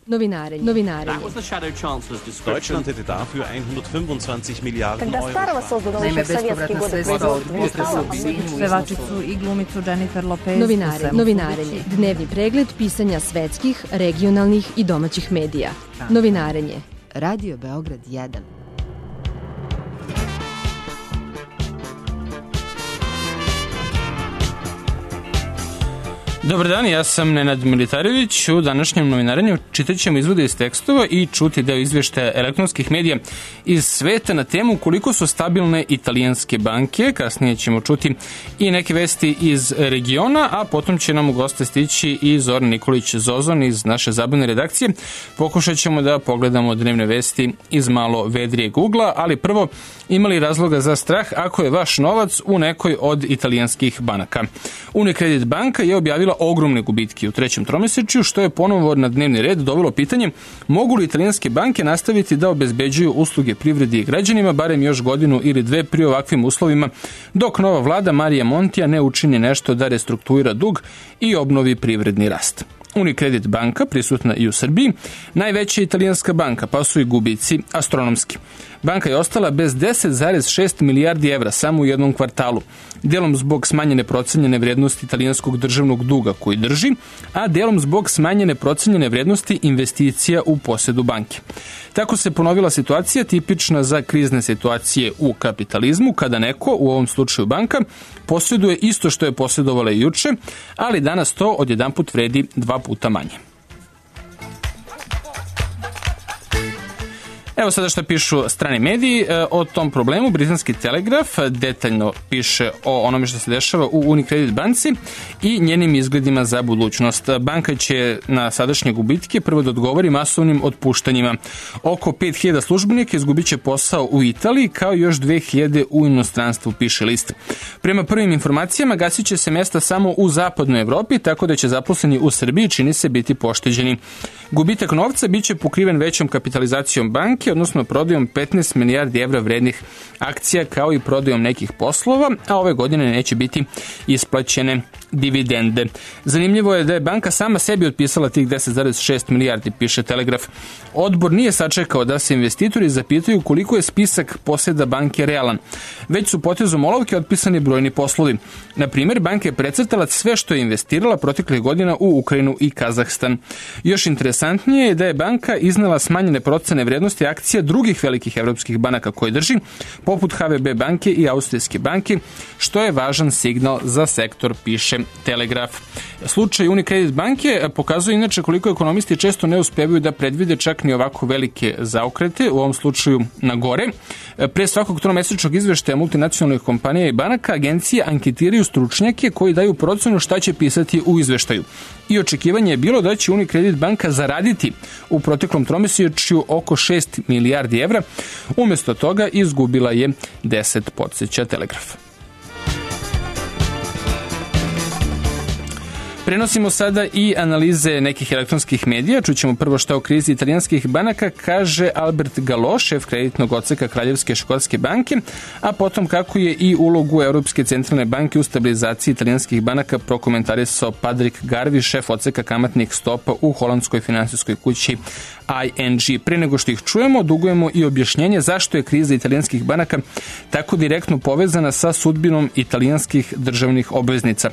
Novinarenje. Deutschland hätte dafür 125 milijardi euro. Naime, bespovratna sredstva od pevačicu i glumicu Jennifer Lopez. Novinarenje. Dnevni pregled pisanja svetskih, regionalnih i domaćih medija. Novinarenje. Radio Beograd 1. Dobar dan, ja sam Nenad Militarević. U današnjem novinarenju čitat ćemo izvode iz tekstova i čuti deo izveštaja elektronskih medija iz sveta na temu koliko su stabilne italijanske banke. Kasnije ćemo čuti i neke vesti iz regiona, a potom će nam u goste stići i Zoran Nikolić Zozon iz naše zabavne redakcije. Pokušat ćemo da pogledamo dnevne vesti iz malo vedrijeg ugla, ali prvo, imali razloga za strah ako je vaš novac u nekoj od italijanskih banaka. Unicredit banka je objavila ogromne gubitke u trećem tromesečju, što je ponovo na dnevni red dovelo pitanje mogu li italijanske banke nastaviti da obezbeđuju usluge privredi i građanima barem još godinu ili dve pri ovakvim uslovima, dok nova vlada Marija Montija ne učini nešto da restrukturira dug i obnovi privredni rast. Unicredit banka, prisutna i u Srbiji, najveća italijanska banka, pa su i gubici astronomski. Banka je ostala bez 10,6 milijardi evra samo u jednom kvartalu, delom zbog smanjene procenjene vrednosti italijanskog državnog duga koji drži, a delom zbog smanjene procenjene vrednosti investicija u posedu banke. Tako se ponovila situacija tipična za krizne situacije u kapitalizmu, kada neko, u ovom slučaju banka, posjeduje isto što je posjedovala i juče, ali danas to odjedanput vredi 2 puta manje. Evo sada što pišu strani mediji o tom problemu. Britanski Telegraf detaljno piše o onome što se dešava u Unicredit banci i njenim izgledima za budućnost. Banka će na sadašnje gubitke prvo da odgovori masovnim otpuštanjima. Oko 5000 službenika izgubit će posao u Italiji, kao i još 2000 u inostranstvu, piše list. Prema prvim informacijama gasit će se mesta samo u zapadnoj Evropi, tako da će zaposleni u Srbiji čini se biti pošteđeni. Gubitak novca biće pokriven većom kapitalizacijom banke, odnosno prodajom 15 milijardi evra vrednih akcija, kao i prodajom nekih poslova, a ove godine neće biti isplaćene dividende. Zanimljivo je da je banka sama sebi otpisala tih 10,6 milijardi, piše Telegraf. Odbor nije sačekao da se investitori zapitaju koliko je spisak poseda banke realan. Već su potezom olovke otpisani brojni poslovi. Na primjer, banka je precrtala sve što je investirala proteklih godina u Ukrajinu i Kazahstan. Još interesantnije je da je banka iznela smanjene procene vrednosti akcija drugih velikih evropskih banaka koje drži, poput HVB banke i Austrijske banke, što je važan signal za sektor, piše Telegraf. Slučaj Unicredit banke pokazuje inače koliko ekonomisti često ne uspevaju da predvide čak ni ovako velike zaokrete, u ovom slučaju na gore. Pre svakog tromesečnog izveštaja multinacionalnih kompanija i banaka agencije anketiraju stručnjake koji daju procenu šta će pisati u izveštaju. I očekivanje je bilo da će Unicredit banka zaraditi u proteklom tromesečju oko 6 milijardi evra. Umesto toga izgubila je 10, podsjeća Telegraf. Prenosimo sada i analize nekih elektronskih medija. Čućemo prvo šta o krizi italijanskih banaka kaže Albert Gallo, šef kreditnog odseka Kraljevske škotske banke, a potom kako je i ulogu Europske centralne banke u stabilizaciji italijanskih banaka prokomentarisao Patrick Garvey, šef odseka kamatnih stopa u holandskoj finansijskoj kući ING. Pre nego što ih čujemo, dugujemo i objašnjenje zašto je kriza italijanskih banaka tako direktno povezana sa sudbinom italijanskih državnih obveznica.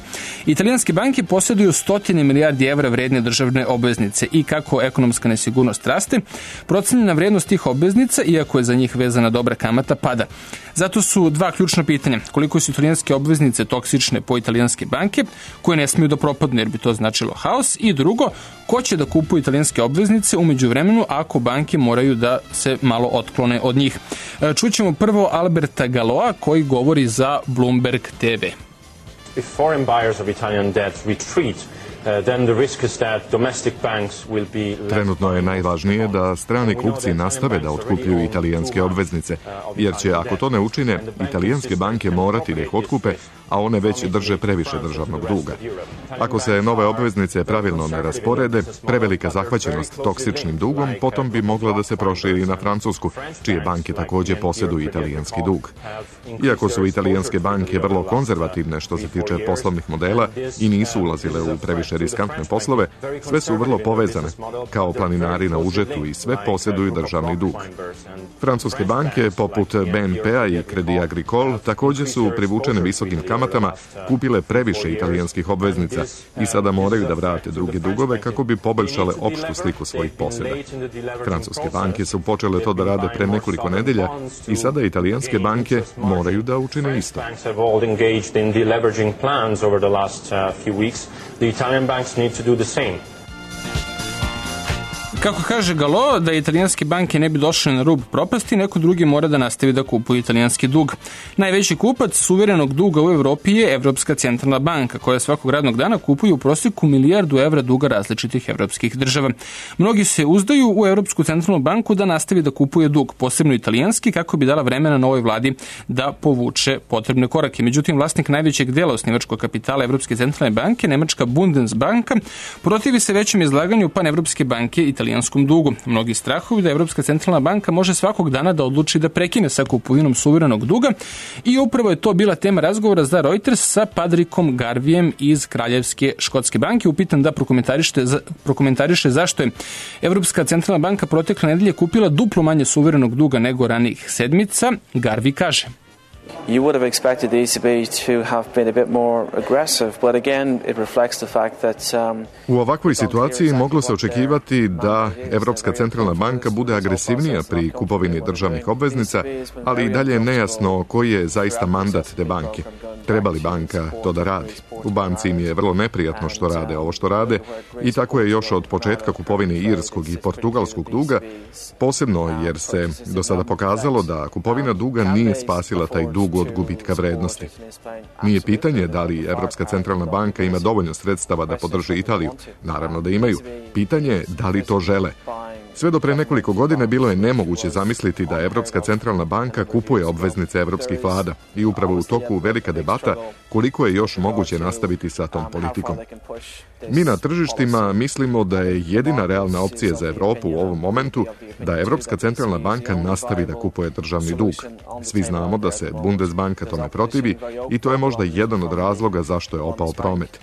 Italijanske banke posjeduju 100 milijardi evra vredne državne obveznice i kako ekonomska nesigurnost raste, procenjena vrednost tih obveznica, iako je za njih vezana dobra kamata, pada. Zato su dva ključna pitanja. Koliko su italijanske obveznice toksične po italijanske banke, koje ne smiju da propadnu jer bi to značilo haos, i drugo, ko će da kupuje italijanske obveznice u međuvremenu ako banke moraju da se malo otklone od njih. Čućemo prvo Alberta Galloa koji govori za Bloomberg TV. If foreign buyers of Italian debt retreat, then the risk is that domestic banks will be... Trenutno je najvažnije da strani kupci nastave da otkupljuju italijanske obveznice, jer će, ako to ne učine, italijanske banke morati da ih otkupe, a one već drže previše državnog duga. Ako se nove obveznice pravilno ne rasporede, prevelika zahvaćenost toksičnim dugom potom bi mogla da se proširi na Francusku, čije banke takođe posjeduju italijanski dug. Iako su italijanske banke vrlo konzervativne što se tiče poslovnih modela i nisu ulazile u previše najviše riskantne poslove, sve su vrlo povezane, kao planinari na užetu i sve posjeduju državni dug. Francuske banke, poput BNP-a i Crédit Agricole, također su privučene visokim kamatama, kupile previše italijanskih obveznica i sada moraju da vrate druge dugove kako bi poboljšale opštu sliku svojih posjeda. Francuske banke su počele to da rade pre nekoliko nedelja i sada italijanske banke moraju da učine isto. Kako kaže Galo, da italijanske banke ne bi došle na rub propasti, neko drugi mora da nastavi da kupuje italijanski dug. Najveći kupac suverenog duga u Evropi je Evropska centralna banka, koja svakog radnog dana kupuje u prosjeku milijardu evra duga različitih evropskih država. Mnogi se uzdaju u Evropsku centralnu banku da nastavi da kupuje dug, posebno italijanski, kako bi dala vremena novoj vladi da povuče potrebne korake. Međutim, vlasnik najvećeg dela osnivačkog kapitala Evropske centralne banke, nemačka Bundesbanka, protivi se većem izlaganju panevropske banke italijanskom dugu. Mnogi strahuju da Evropska centralna banka može svakog dana da odluči da prekine sa kupovinom suverenog duga i upravo je to bila tema razgovora za Reuters sa Patrickom Garvijem iz Kraljevske škotske banke. Upitan da prokomentariše zašto je Evropska centralna banka protekle nedelje kupila duplo manje suverenog duga nego ranijih sedmica, Garvi kaže: You would have expected the ECB to have been a bit more aggressive, but again it reflects the fact that U ovakvoj situaciji moglo se očekivati da Evropska centralna banka bude agresivnija pri kupovini državnih obveznica, ali i dalje je nejasno koji je zaista mandat te banke. Treba li banka to da radi? U banci im je vrlo neprijatno što rade ovo što rade i tako je još od početka kupovine irskog i portugalskog duga, posebno jer se do sada pokazalo da kupovina duga nije spasila taj dug od gubitka vrednosti. Nije pitanje da li Evropska centralna banka ima dovoljno sredstava da podrži Italiju. Naravno da imaju. Pitanje je da li to žele. Sve do pre nekoliko godina bilo je nemoguće zamisliti da Evropska centralna banka kupuje obveznice evropskih vlada i upravo u toku velika debata koliko je još moguće nastaviti sa tom politikom. Mi na tržištima mislimo da je jedina realna opcija za Evropu u ovom momentu da Evropska centralna banka nastavi da kupuje državni dug. Svi znamo da se Bundesbanka tome protivi i to je možda jedan od razloga zašto je opao promet.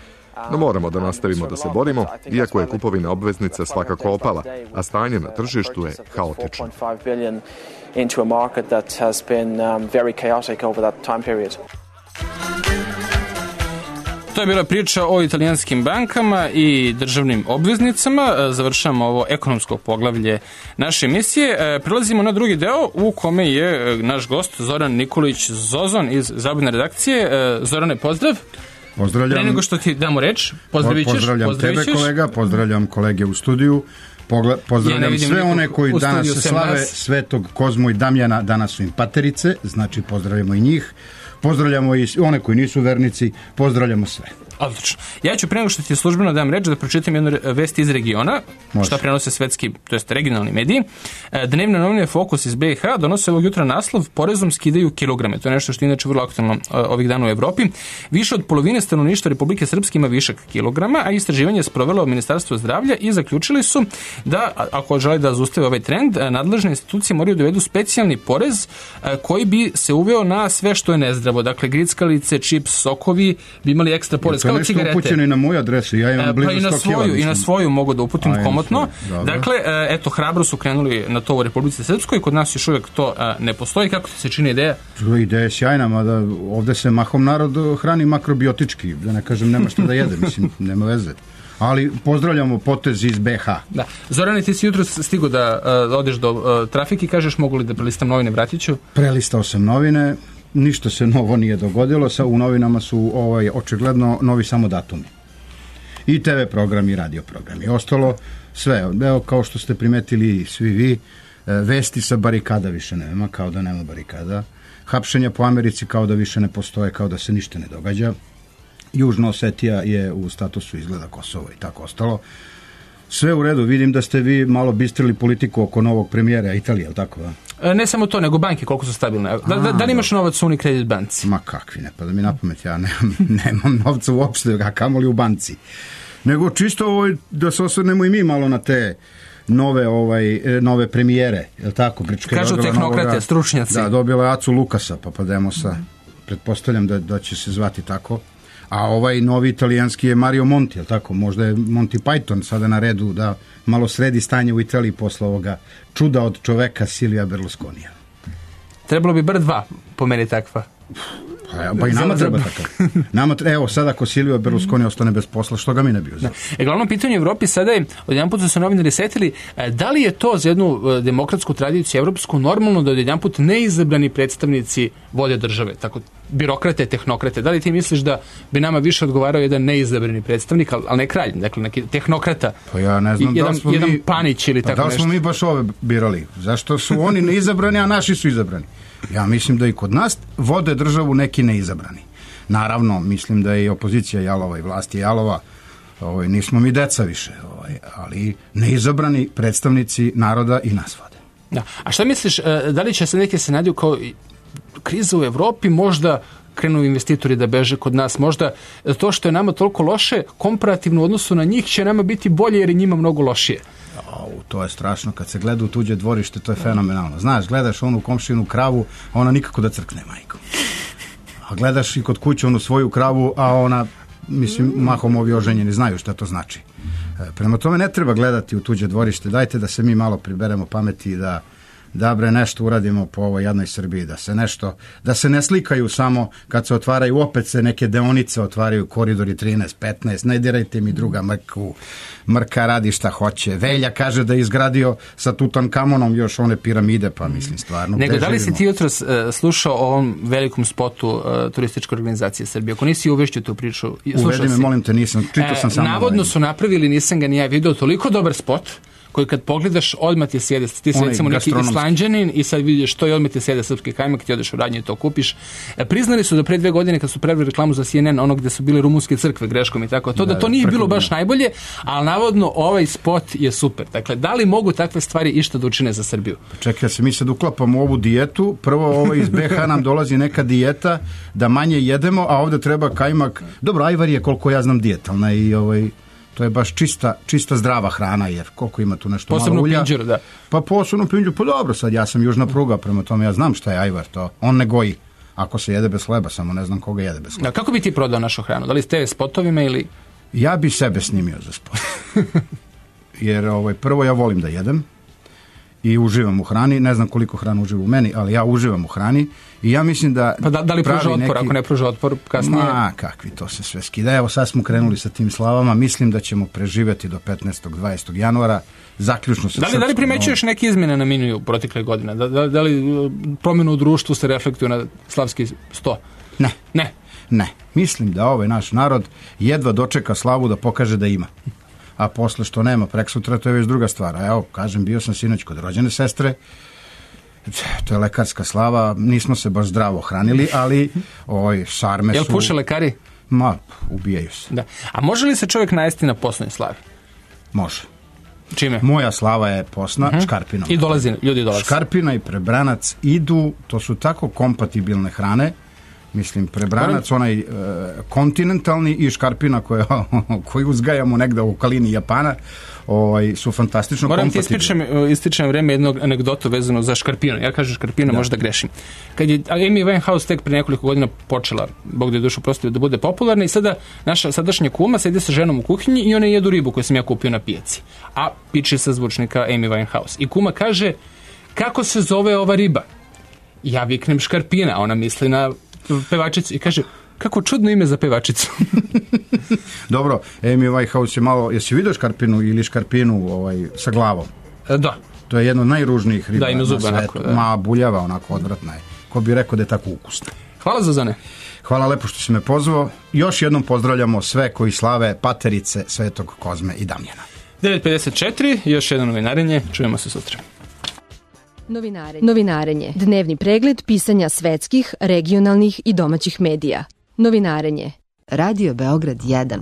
No moramo da nastavimo da se borimo, iako je kupovina obveznica svakako opala, a stanje na tržištu je haotično. To je bila priča o italijanskim bankama i državnim obveznicama. Završamo ovo ekonomsko poglavlje naše emisije. Prelazimo na drugi deo u kome je naš gost Zoran Nikolić Zozon iz Zabavne redakcije. Zorane, pozdrav. Pozdravljam. Pre nego što ti damo reč, pozdravljam tebe, kolega, pozdravljam kolege u studiju, pozdravljam sve one koji danas slave Svetog Kozmu i Damjana, danas su im paterice, znači pozdravljamo i njih, pozdravljamo i one koji nisu vernici, pozdravljamo sve. Odlično. Ja ću pre nego što ti službeno dam reč da pročitam jednu vest iz regiona, šta prenose svetski, to jest regionalni mediji. Dnevne novine Fokus iz BiH donose ovog jutra naslov porezom skidaju kilograme. To je nešto što je inače vrlo aktualno ovih dana u Evropi. Više od polovine stanovništva Republike Srpske ima višak kilograma, a istraživanje je sprovelo Ministarstvo zdravlja i zaključili su da, ako žele da zaustave ovaj trend, nadležne institucije moraju da uvedu specijalni porez koji bi se uveo na sve što je nezdravo. Dakle, grickalice, čips, sokovi bi imali ekstra porez. To je nešto upućeno i na moju adresu, ja imam blizu 100 kila. I na svoju mogu da uputim komotno. Dakle, eto, hrabro su krenuli na to u Republici Srpskoj, kod nas još uvijek to ne postoji. Kako ti se čini ideja? Ideja je sjajna, mada ovde se mahom narod hrani makrobiotički, da ne kažem nema što da jede, mislim, nema veze. Ali pozdravljamo potez iz BiH. Da. Zorane, ti si jutro stigo da odeš do trafike i kažeš mogu li da prelistam novine, vratit ću? Prelistao sam novine. Ništa se novo nije dogodilo, u novinama su očigledno novi samo datumi. I TV programi, i radio programi. Ostalo sve, evo kao što ste primetili svi vi, vesti sa barikada više nema, kao da nema barikada. Hapšenja po Americi kao da više ne postoje, kao da se ništa ne događa. Južna Osetija je u statusu izgleda Kosovo i tako ostalo. Sve u redu, vidim da ste vi malo bistrili politiku oko novog premijera Italije, je li tako? Ne samo to, nego banke koliko su stabilne. Da li imaš novac u Unicredit banci? Ma kakvi, ne pada mi na pamet, ja nemam novca uopšte, a kamoli u banci. Nego čisto da se osvrnemo i mi malo na te nove premijere, je li tako? Kažu tehnokrate, stručnjaci. Da, dobila je Acu Lukasa, Papademosa, pretpostavljam da će se zvati tako. A ovaj novi italijanski je Mario Monti, je li tako? Možda je Monty Python sada na redu da malo sredi stanje u Italiji posle ovoga čuda od čoveka Silvia Berlusconija. Trebalo bi bar 2, po meni takva. Pa i nama treba takav. Evo, sada ako Silvio Berlusconi ostane bez posla, što ga mi ne bi uzeo? Glavno pitanje u Evropi sada je, odjedanput su se novinari setili, da li je to za jednu demokratsku tradiciju evropsku normalno da odjedanput neizabrani predstavnici vode države, tako birokrate, tehnokrate? Da li ti misliš da bi nama više odgovarao jedan neizabrani predstavnik, ali ne kralj, dakle neki tehnokrata? Pa ja ne znam jedan Panić ili tako nešto. Da li smo mi baš ove birali? Zašto su oni neizabrani, a naši su izabrani? Ja mislim da i kod nas vode državu neki neizabrani. Naravno, mislim da je i opozicija jalova i vlast je jalova. Nismo mi deca više, ali neizabrani predstavnici naroda i nas vode. Da. A šta misliš, da li će se neke scenariju kao kriza u Evropi, možda krenu investitori da beže kod nas, možda to što je nama toliko loše, komparativno u odnosu na njih će nama biti bolje jer je njima mnogo lošije? To je strašno, kad se gleda u tuđe dvorište, to je fenomenalno. Znaš, gledaš onu komšinu kravu, a ona nikako da crkne, majko. A gledaš i kod kuće onu svoju kravu, a ona, mislim, mahom ovi oženjeni znaju šta to znači. Prema tome ne treba gledati u tuđe dvorište, dajte da se mi malo priberemo pameti i da bre nešto uradimo po ovoj jadnoj Srbiji, da se ne slikaju samo kad se otvaraju, opet se neke deonice otvaraju, koridori 13, 15, ne dirajte mi druga Mrka radi šta hoće. Velja kaže da je izgradio sa Tutankamonom još one piramide, pa mislim stvarno. Nego da li si ti jutros slušao o ovom velikom spotu turističke organizacije Srbije? Ako nisi uvešću tu priču, uvedi me, molim te, nisam, čitao sam samo. Navodno su napravili, nisam ga ni ja vidio, toliko dobar spot koji kad pogledaš, odmah ti sjede, ti si recimo neki Islanđanin i sad vidiš to i odmah ti sjede srpski kajmak, ti odeš u radnju i to kupiš. Priznali su da pre 2 godine kad su pravili reklamu za CNN, ono gde su bile rumunske crkve greškom i tako, da to nije bilo baš najbolje, ali navodno ovaj spot je super. Dakle, da li mogu takve stvari išta da učine za Srbiju? Čekaj, mi sad uklapamo ovu dijetu, prvo iz BH nam dolazi neka dijeta da manje jedemo, a ovde treba kajmak. Dobro, ajvar je koliko ja znam dijetalna i to je baš čista zdrava hrana, jer koliko ima tu nešto posebno malo ulja. Pinđeru, da. Pa posebno pinđeru, pa dobro, sad ja sam južna pruga, prema tome ja znam šta je ajvar, to on ne goji. Ako se jede bez hleba, samo ne znam koga jede bez hleba. Da, kako bi ti prodao našu hranu? Da li s TV spotovima ili... Ja bi sebe snimio za spot. Jer prvo ja volim da jedem i uživam u hrani, ne znam koliko hrana uživa u meni, ali ja uživam u hrani i ja mislim da... Pa da li pruža otpor, ako ne pruža otpor kasnije? Kakvi, to se sve skida. Evo sad smo krenuli sa tim slavama, mislim da ćemo preživjeti do 15. 20. januara, zaključno sa Da li primećuješ neke izmjene na meniju protekle godine? Da li promjenu u društvu se reflektuje na slavski 100? Ne. Mislim da ovaj naš narod jedva dočeka slavu da pokaže da ima. A posle što nema preksutra, to je već druga stvar. A evo, kažem, bio sam sinoć kod rođene sestre, to je lekarska slava, nismo se baš zdravo hranili, ali šarme su... Jel puše lekari? Ubijaju se. Da. A može li se čovjek najesti na posnoj slavi? Može. Čime? Moja slava je posna, škarpinom. I ljudi dolaze. Škarpina i prebranac idu, to su tako kompatibilne hrane, mislim, prebranac, onaj kontinentalni i škarpina koju uzgajamo negde u okolini Japana, su fantastično kompatibilni. Moram ti ističem vreme jednog anegdotu vezano za škarpinu. Ja kažem škarpina, možda grešim. Kad je Amy Winehouse tek pre nekoliko godina počela, Bog da je dušu prostio, da bude popularna, i sada naša sadašnja kuma sedi sa ženom u kuhinji i ona jedu ribu koju sam ja kupio na pijaci. A piče sa zvučnika Amy Winehouse. I kuma kaže, kako se zove ova riba? Ja viknem škarpina, a ona misli na pevačicu i kaže, kako čudno ime za pevačicu. Dobro, Amy Winehouse je malo, jesi vidio škarpinu ili škarpinu sa glavom? Da. To je jedno od najružnijih riba na svetu. Onako, da. Ma, buljava, onako, odvratna je. Ko bi rekao da je tako ukusna. Hvala, Zuzane. Hvala lepo što si me pozvao. Još jednom pozdravljamo sve koji slave paterice Svetog Kozme i Damjana. 9:54, još jedno novinarenje. Čujemo se sutra. Novinarenje. Dnevni pregled pisanja svetskih, regionalnih i domaćih medija. Novinarenje. Radio Beograd 1.